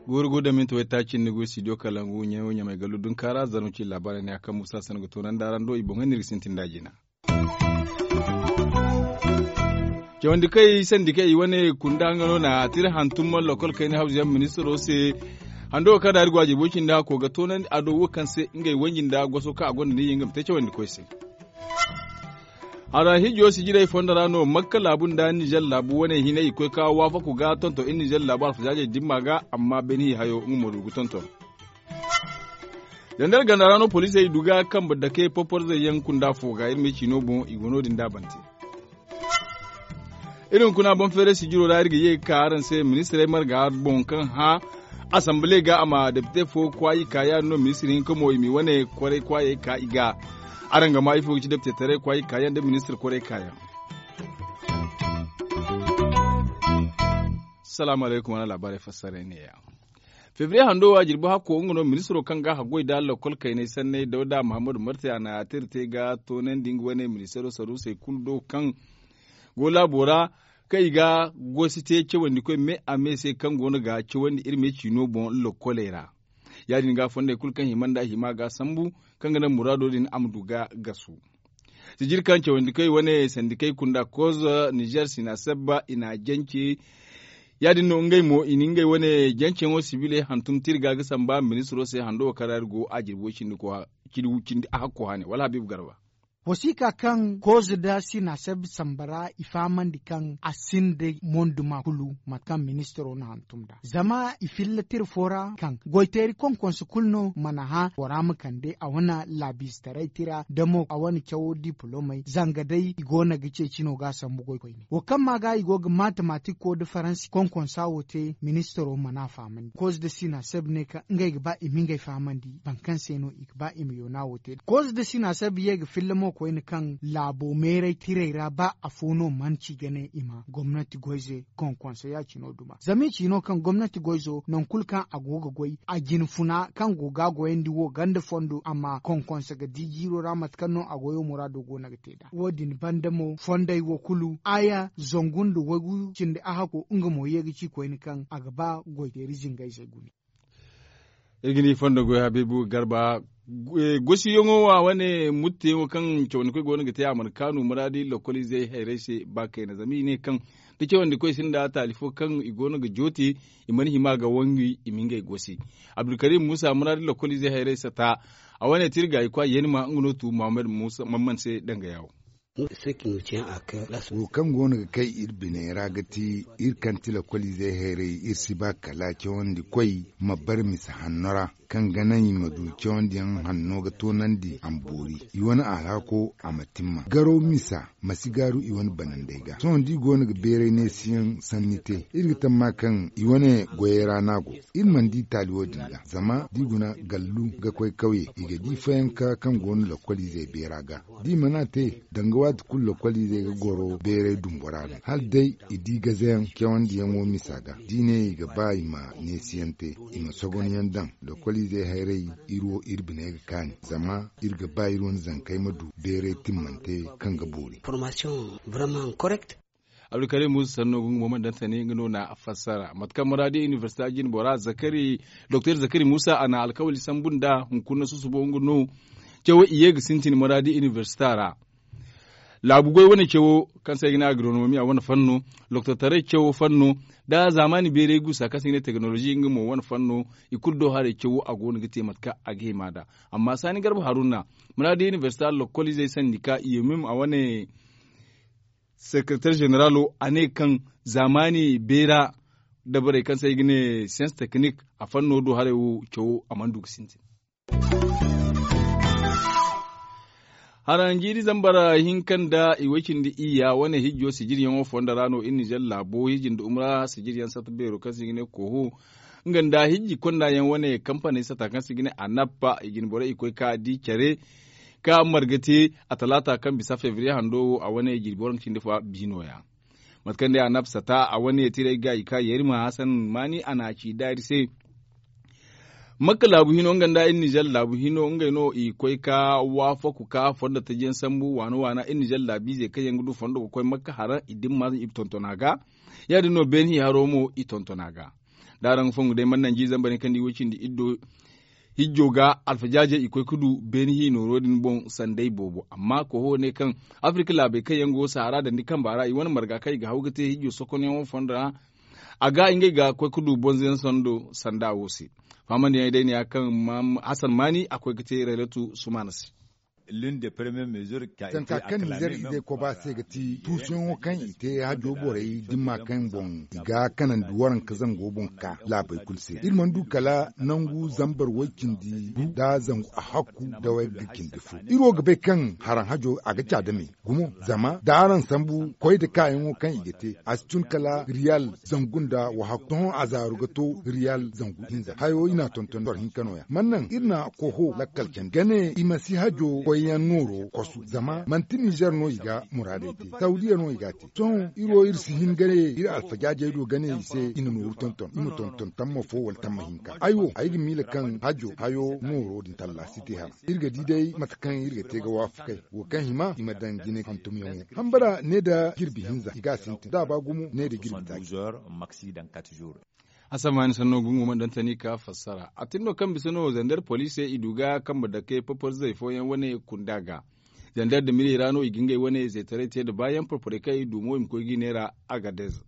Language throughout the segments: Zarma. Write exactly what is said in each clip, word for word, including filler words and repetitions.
Guuru guuru da minti waytaaci ni ga studio kalangu ɲayo ɲamay gallu dunkaara zarma ci laabaarey ne a kaŋ musa sanda ga toonandi a ra ndo i boŋey no iri ga sintin nd'a jina. Cawandi kaŋ i sandi kaŋ i wane kunda nga no na tira hantum lokol kayna hawzu yaŋ ministiro se. Hando kaŋ da iri go a jirbo cindi hakko ga toonandi a do wo kaŋ se ngey wanji nda goso kaŋ a gonda ni ye nga ma te cawandi koy se. Hara hijo sijirey fondo ra no makka laabu nda nizer laabu wane hinay i koy ka waafaku ga tonton iri nizer laabu alfazaazey dimma ga amma beni hi hayo nga mo du ga tonton. Zandar ganda ra no poliisey du ga kambe dake poporzey yaŋ kunda fo ga iri ma ay ciino boŋ i go no- din da bante. Iri hunkuna boŋ feeray sijiro ra iri ga ye ga ka araŋ se ministirey marga boŋ kaŋ hã asambale ga a ma depite fo kwaayi ka ya- din no ministir hinka mo i ma i wane kwaray kwaayey ka i ga. Araŋ ga ma ifo ga ci depitetaray kwaayi ka yaŋ nda ministir kwaray ka yaŋ. Salaamu alaykum wane laabaarey fassaray ne- ya. Febriye hando wo a jirbi hakko nga no ministiro kaŋ ga a haggoy nda lokol kaynay sanney dawda mahammadu marti a na a tira te ga toonandi nga wane ministiro saruusey kulu do kaŋ go laabo ra kaŋ i ga gosi te cawandi koy me a me se kaŋ go no ga cawandi iri me ciino boŋ lokoley ra. Ya- din ga fondey kulu kaŋ hima nda hima ga sambu kaŋ ga naŋ muraado din a ma du ga gasu. Sijiri kaŋ cawandi koy wane sandikey kunda kozo nizer sinaseb i na a jance. Ya- din no ngey mo i na ngey wane janceyaŋo sibiley hantum tirga ga samba ministiro se hando wo kaŋ ra iri go a jirbo cindi a hakko hane wala habiibu garba. Wasiika kaŋ kozo nda sinaseb samba ra i fahamandi kaŋ a sinda monduma kulu mate kaŋ ministiro na hantum nda zama i filla tira fo ra kaŋ goyteeri konkonse kulu no mana hã bora ma kande a wane laabiizetaray tira da mo a wane cawo dipolomey zanga day i go no ga ceeci no ga a sambu goy koyne wo kaŋ ma ga i go ga maatamaatiko nda faransi konkonsa wo te ministiro mana a fahamandi kozo nda sinaseb ne kaŋ ngey ga ba i ma ngey fahamandi boro kaŋ se no i ga ba i ma yoona wo te kozo nda sinaseb ye ga filla mo koyne kaŋ laabo meeray tirey ra ba afo no mana ci ga ne i ma gomnati goyze konkonsa ya- cino duma zama i ci no kaŋ gomnati goyzo nangu kulu kaŋ a go ga goy a jina funa kaŋ go ga a goyandi wo ganda fondo amma konkonsa ga di jiiro ra mate kaŋ no a goyo muraado go no ga te nd'a wo- din banda mo fondey wo kulu aya zangu nda waygu cindi ahakko nga mo ye ga ci koyne kaŋ a ga ba goyteeri zingayzey gune. Iri ga ni fondo goy habiibu garba. Gosiyaŋo wa wane mutteyaŋo kaŋ cawandi koy go no ga te a mana kaanu muraadi lokoliizey hayrey se ba kayna zama i ne kaŋ da cawandi koy sinda taali fo kaŋ i go no ga joote i mana hima ga wangu i ma ngey gosi. Abdulkarim muusa muraadi lokoliizey hayrey sata a wane te iri gaayi kwa yeenima nga no tu muhammad muusa mamman se danga yaawo. Wo kaŋ go no ga kay iri biney ra ga ti iri kaŋ ti lokoliizey hayrey iri si ba kala cawandi koy ma bare misa hanno ra kaŋ ga naŋ i ma du cawandiyaŋ hanno ga toonandi a ma boori i wane alhako a ma timma garaw misa ma si gaaru i wane banandey ga sohõ da i go no ga beeray neesiyaŋ sanni te iri ga tamma kaŋ i wane goyey ra no a go. Iri mana di taali wo- din ga zama da i guna gallu ga koy kawye i ga di fayanka kaŋ go no lokoliizey beera ga da i mana te danga waati kulu lokoliizey ga goro beeray dumbora no hala day i di gazayaŋ cawandiyaŋo misa ga da i ne i ga ba i ma neesiyaŋ te i ma sogonyaŋ daŋ lokoliizey hayrey iri wo iri biney ga kaani zama iri ga ba iri wane zankey ma du beeray timmante kaŋ ga boori. Abdulkarim muusa sanno ga nga mo mana daŋ tani nga no na fassara mate kaŋ muraadi inibersita jine bora zakari doktor zakari muusa a na alkawali sambu nda hunkuna susubo nga no cawo i ye ga sintin muraadi inibersita ra. Laabu goy wane cawo kaŋ se ay ga ne agronomiya wane fanno doktortaray cawo fanno da zaamaani beeray guusa kaŋ se i ga ne tekinolozi nga mo wane fanno i kulu do haray cawo a go no ga te mate kaŋ a ga hima nd'a. Amma saani garba haruna muraadi inibersita lokoliizey sandika i ye mim a wane sekereter zeneralo a ne kaŋ zaamaani beera dabarey kaŋ se ay ga ne siyans teknik a fanno do haray wo cawo a mana du ga sintin. Haranjiiri zambar hinka nda i way cindi iyya wane hijjo sijiryaŋo fondo ra no iri nizer laabo hiji nda umra sijiryaŋ satta beero kaŋ se i ga ne koho nga nda hijji konda yaŋ wane kampaney sata kaŋ se i ga ne anappa i jine borey i koy ka di care ka marga te a talaata kaŋ bisa febriye hando wo a wane jirbi waranka cindi fo biino ya. Mate kaŋ day a nafsa ta a wane tiray ga i ka yeeri ma hasan maani a na a ci daari se. Makka laabu hino nga nda iri nizer laabu hino ngey no i koy ka waafaku ka fondo taji yaŋ sambu waana waana iri nizer laabiizey kaŋ yaŋ ga du fondo ga koy makka haraŋ i dimma i tontona ga. Ya- din no beeni hi haro mo i tontona ga. Da araŋ ga fongu day mana nanji zambar yaŋ kaŋ ni wo cindi iri do hijjo ga alfajaajey i koy ga du beeni hi nooro din boŋ sanday boobo amma koho ne kaŋ afirika laabey kaŋ yaŋ go sahara dandi kamba ra i wane marga kaŋ i ga haw ga te hijjo sokonyaŋo fondo ra. A ga ngey ga koy ga du bonzo yaŋ sando sanda wo se. Fahamandiyaŋey day ne ya kaŋ hasan maani a koy ga te raylatu sumaana se. Zanka kaŋ nizer izey koba se ga ti tuusuyaŋo kaŋ i te hajjo borey dimma kaŋ boŋ i ga kanandi waranka zango boŋ ka laabey kulu se iri mana du kala nangu zambar way-cindi gu nda zangu ahakku nda wayga cindi fo. Iri wo ga bay kaŋ haraŋ hajo a ga ca dame gumo zama da araŋ sambu koy nda kaayaŋo kaŋ i ga te a si tun kala riyal zangu nda wahakku sohõ a zaaru ga to riyal zangu hinza hayo i n'a tonton boro hinka no- ya mana naŋ iri na koho lakkal candi ga ne i ma si hajo koyyaŋ nooro kosu zama manti nizer no i ga muraadey te sawdiya no i ga a te. Sohõ iri wo iri si hin ga ne iri alfajaajey do ga ne i se i na nooru tonton i ma tonton tamma fo wala tamma hinka ay wo ay ga miila kaŋ hajo hayo nooro din talla si te hara. Iri ga di day mate kaŋ iri ga te ga waafakay wo kaŋ hima i ma daŋ jine hantumyaŋo hambara ne nda jirbi hinza i ga a sintin da a ba gumo ne nda jirbi taaci. Asamani sanno gungu mana daŋ tani ka fassara a tin no kaŋ bisa no zander poliisey i du ga kambe dake porporzey fooyaŋ wane kunda ga. Zander da miley ra no i ga ngey wane zeetaray te nda baayaŋ porporey kaŋ i du mo i ma koy ga i neera agadez.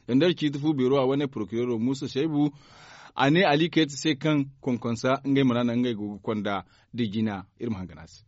Zander ciiti fu beero a wane porokireero muusa saybu a ne ali kayta se kaŋ konkonsa ngey mana naŋ ngey go ga konda da jina. Iri ma hangan a se.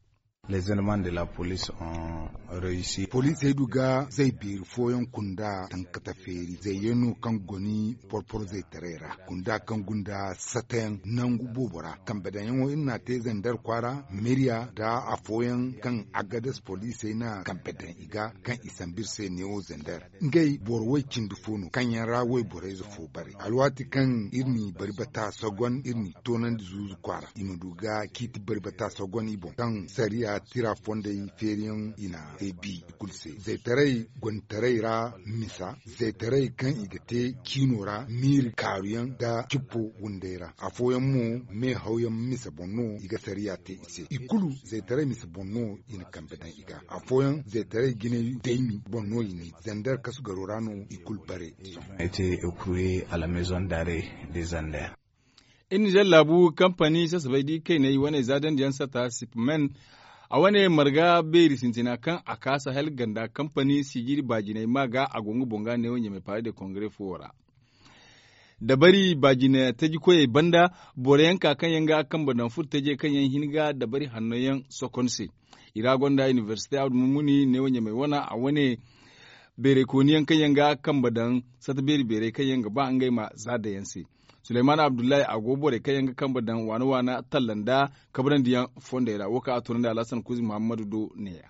Poliisey du ga zay beeri fooyaŋ kunda tankata feeri zayyaŋ no kaŋ goni porporo zaytaray ra kunda kaŋ gunda satayaŋ nangu boobo ra kambe daŋyaŋo iri n'a te zander kwaara miriya nda afooyaŋ kaŋ agadas poliisey na kambe daŋ i ga kaŋ i sambu iri se neewo zander. Ngey boro way cindi fo no kaŋ yaŋ ra wayborayze fo bare alwaati kaŋ iri n'i bari bata sogon iri n'i toonandi zuuzu kwaara i ma du ga ciiti bari bata sogon i boŋ kaŋ sariya tira fondey feeriyaŋ i na te bi i kulu se zaytaray gonditaray ra misa zaytaray kaŋ i ga te ciino ra miiri kaaruyaŋ nda cippo wunday ra afooyaŋ mo meehawyaŋ misa boŋ no i ga sariya te i se i kulu zaytaray misa boŋ no i na kambe daŋ i ga afooyaŋ zaytaray jinay daymi boŋ no i ne zander kasu garo ra no i kulu bare. Sohõ ay te ekruye a la maison d'arrêt de zander. Iri nizer laabu kampani sasabay da i kayney wane zaadandiyaŋ sata sipmen a wane marga beeri sintina kaŋ a ka sahel ganda kampani sijiri baajinay ma ga a go nga boŋ ga neewo ɲamay paare de kongare fuwo ra. Dabari baajina taji koyey banda boro yaŋ ka kaŋ yaŋ ga kambe daŋ furo tajey kaŋ yaŋ hin ga dabari hanno yaŋ sokon se. I ra gonda inibersite abdu mummuni neewo ɲamay wana a wane beerey kooni yaŋ kaŋ yaŋ ga kambe daŋ sata beeri beerey kaŋ yaŋ ga ba ngey ma za daŋ yaŋ se. Suleyman abdullahi a go borey kaŋ yaŋ ga kambe daŋ waana waana talla nda kabrandi yaŋ fondey ra wo kaŋ a toonandi alhasan kuuzi muhammadu do ne- ya.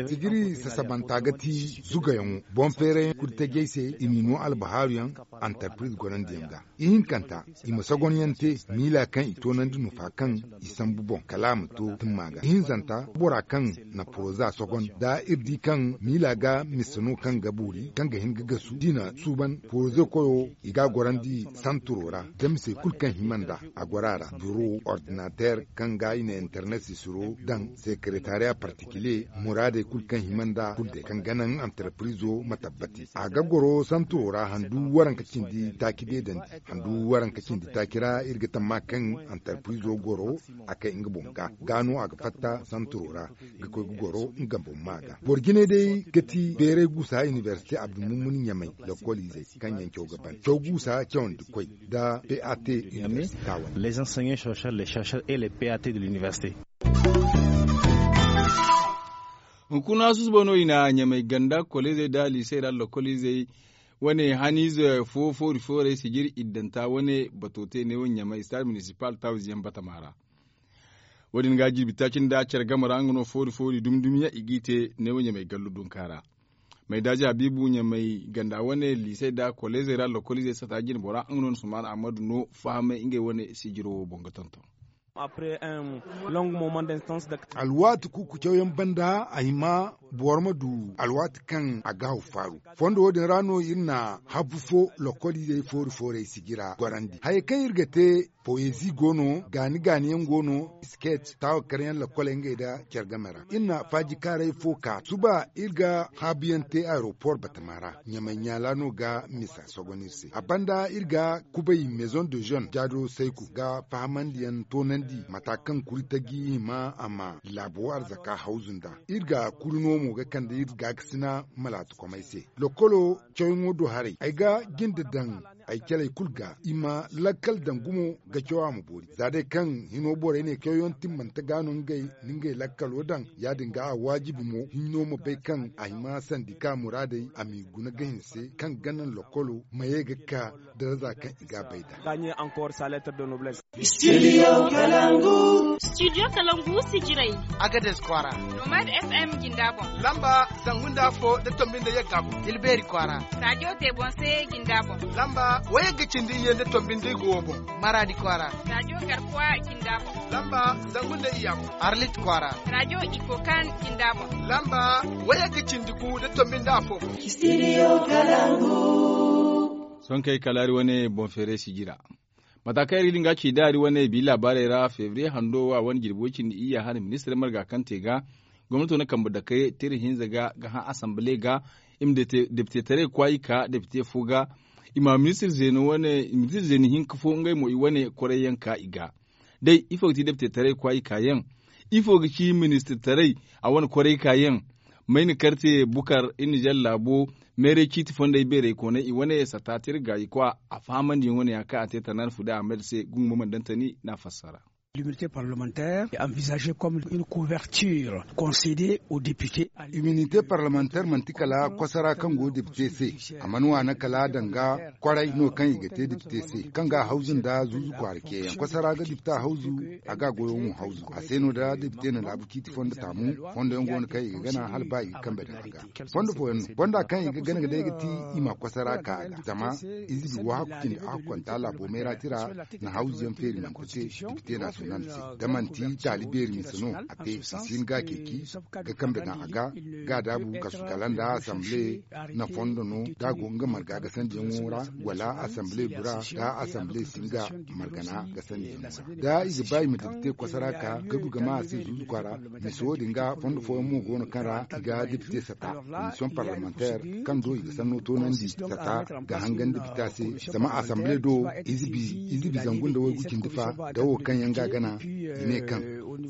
Sijiri sasabanta ga ti zugayaŋo boŋ feerayaŋ kulu tajey se i n'i no albahaaru yaŋ antarpiriz gorandi yaŋ ga. Ihinkanta i ma sogonyaŋ te miila kaŋ i toonandi nufa kaŋ i sambu boŋ kala a ma to timma ga ihinzanta bora kaŋ na poroza sogon da iri di kaŋ miila ga mise no kaŋ ga boori kaŋ ga hin ga gasu da i na suuban poroze koyo i ga a gorandi santuro ra da misey kulu kaŋ hima nd'a a goro a ra biro ordinater kaŋ ga i na internet sisiro daŋ sekeretariya partikile muraadey kulu kaŋ hima nd'a kulu day kaŋ ga naŋ antarpirizo ma tabbati a ga goro santuro ra handu waranka cindi taaci deedandi handu waranka cindi taaci ra iri ga tamma kaŋ antarpirizo goro a kay nga boŋ ga ga no a ga fatta santuro ra ga koy ga goro nga boŋ ma ga boro jinay day ga ti beeray guusa inibersite abdulmumuni ɲamay lokol izey kaŋ yaŋ caw ga ban caw guusa cawandi koy nda pat universita wane. Les enseignants chercheurs les chercheurs et les pat de l'université. Hunkuna susubo no i na ɲamay ganda koleezey nda liisey ra lokol izey wane haniize fo foori foorey sijiri iddanta wane bato te neewo ɲamay stade municipal tawziyaŋ batama ra. Wo- din ga jirbi taaci nda care game ra nga no foori foori dumi dumi yaŋ i g'i te neewo ɲamay gallu dunka ra. Maydaaji habiibu ɲamay ganda wane liisey nda koleezey ra lokol izey sata jinbora nga no na sumaana ammadu no fahamay ngey wane sijiro wo boŋ ga tonton. Alwaati kuuku cawyaŋ banda a hima boro ma du alwaati kaŋ a ga haw faaru. Fondo wo- din ra no iri na habbu fo lokol izey foori foorey sijira gorandi hayey kaŋ iri ga te. Poezi go no gaani gaani yaŋ go no, sket taawa karyaŋ lokol ngey nda care game ra iri na faajikaaray fo ka suba iri ga haabuyaŋ te aeropor batama ra. Ɲamay ɲaala no ga misa sogon iri se a banda iri ga kubay maison de jeune jaado sayku ga fahamandiyaŋ toonandi mata kaŋ kuri taji hima a ma laabo arzaka hawzu nd'a. Iri ga kuri no mo ga kande iri gaakasina malaatakomey se. Lokolo cawyaŋo do haray ay ga jinde daŋ ay caley kulu ga i ma lakkal daŋ gumo ga caw a ma boori za day kaŋ hino borey ne cawyaŋ timmante ga no ngey na ngey lakkalo daŋ. Ya- din ga a waajibi mo hinno ma bay kaŋ a hima sandika muraadey a m'i guna ga hinse kaŋ ga naŋ lokolo ma ye ga ka daraza kaŋ i ga a bay nd'a. Studio kalangu sijirey. Agades kwaara. Nomad fm jinda boŋ. Lamba zangu nda afo da tombi nda yagga boŋ. Tilbeeri kwaara. Radio tebonse jinda boŋ. Lamba wayagga cindi iyye nda tombi nda igo wo boŋ. Maraadi kwaara. Radio garkuwa jinda boŋ. Lamba zangu nda iyya boŋ. Arlit kwaara. Radio ikokan jinda boŋ. Lamba wayagga cindi gu nda tombi nda afo boŋ. Studio kalangu. Sonkey kalaari wane boŋ feeray sijira. Mata kaŋ iri ga nga ci daari wane bi laabaarey ra febriye hando wa wane jirbi way cindi iyya hane ministirey marga kaŋ te ga gomnato na kambe dakey tira hinza ga ga hã asambale ga. I ma depitetaray kwaayi ka depite fo ga i ma ministir zeeni hinka fo ngey mo i wane kwaray yaŋ ka i ga. Day ifo ga ti depitetaray kwaayi ka yaŋ? Ifo ga ci ministirtaray a wane kwaray ka yaŋ? Mayna karte bukar iri na jalla laabo meeray ciiti fondey beerey koonay i wane sata tirga i kwa a fahamandiyaŋ wane ya kaŋ a te tanaana fude ahmed se gungu ma mana daŋ tani n'a fassara. L'immunité parlementaire est envisagée comme une couverture concédée aux députés. Immunité parlementaire manti kala kwasara kaŋ go depite se a mana waana kala danga kwaray no kaŋ i ga te depite se kaŋ ga hawzu nda zuuzu kwaara ceeyaŋ kwasara ga depita hawzu. A ga goyo mo hawzu a se no da depite na laabu ciiti fondo taamu. Fondo yaŋ go no kaŋ i ga gana hala ba i ga kambe daŋ a ga fondo fooyaŋ no fonda kaŋ i ga gana ga day ga ti i ma kwasara ka a ga zama ize bi wo hakku cindi a hakkonta laabo meera tira na hawzu yaŋ feeri manti te depite national se da manti taali beeri mise no a te i si hin ga ceeci ga kambe daŋ a ga ga daabu kasu kala nda assemble na fondo no da a go nga marga gasandiyaŋo ra wala assemble bura da assemble si nga margana gasandiyaŋo ra da i ga ba i ma depite kwasara ka ga du ga ma a se zuuzu kwaara. Mise wo- din ga fondo fooyaŋ mo go no kaŋ ra i ga depite sata commission parlementaire kaŋ do i ga sanno toonandi sata ga hangan depita se zama assemble do ize bi zangu nda waygu cindi fa da wo kaŋ yaŋ ga gana i ne kaŋ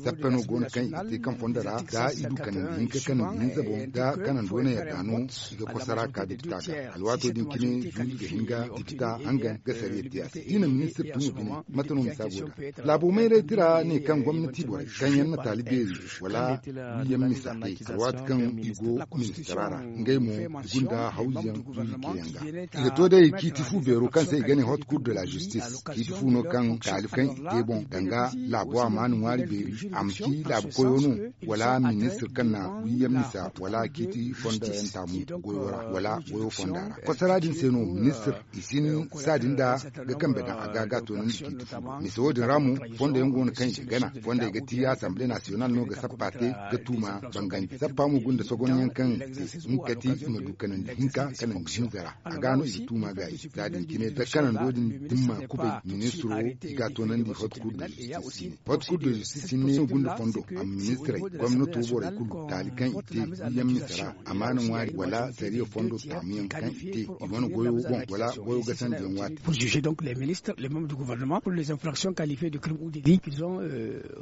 sappe no go no kaŋ i ga te kaŋ fondo ra da i du kanandi hinka kanandi hinza boŋ da kanando na yadda no i ga kwasara ka depita ga alwaato din cine zuuzu ga hin ga depita hangan ga sariya te a se i na ministir tumo bine mate no misa go da laabo mayray tira ne kaŋ gomnati borey kaŋ yaŋ na taali beeri wala wiyaŋ misa te alwaati kaŋ i go ministira ra ngey mo i gunda hawzuyaŋ zuuzu ceeyaŋ ga i ga to day ciiti fu beero kaŋ se i ga ne hot cour de la justice ciiti fu no kaŋ taali kaŋ i te boŋ danga laabo a ma ni ŋwaari beeri a ma ci laabu koyo no wala ministir kaŋ na wiyaŋ misa wala ciiti fondo yaŋ taamu goyo ra wala goyo fonda ra kwasara din se no ministir i si ni saadin da ga kambe daŋ a ga ga toonandi ciiti fu mise wo- din ra mo fondo yaŋ go no kaŋ i ga gana fondey ga ti assemble national no ga sappa te ga tuuma bangandi sappa mo gunda sogonyaŋ kaŋ te nga kati i ma du kanandi hinka kanandi hinza ra a ga no i ga tuuma ga i za din cine da kanando din dimma kubay ministiro i ga toonandi hot cour de justice ne hot cour de justice ne gunda fondo a ma ministirey gomnato borey kulu taali kaŋ i te yaŋ mise ra amaana ŋwaari wala sariya fondo taamuyaŋ kaŋ i te i wane goyo boŋ wala goyo gasandiyaŋ waati. Pour juger donc les ministres les membres du gouvernement pour les infractions qualifiées de crimes ou de délits qu'ils ont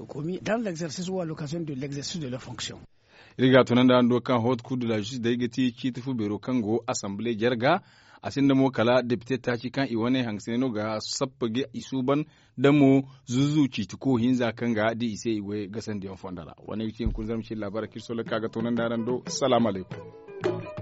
commis dans l'exercice ou à l'occasion de l'exercice de leur fonction. Iri ga tunandi hando kaŋ hot cour de la justice day ga ti ciiti fu beero kaŋ go assemble jarga a sinda mo kala depite taaci kaŋ i wane hangasine no ga sappa ga i suuban da mo zuzu ciiti ko hinza kaŋ ga di i se i goy gasandiyaŋ fonda ra wane ga ci hunkuna zarma ci labaara kirso lakka ga tunandi hando. Salaamu alaykum.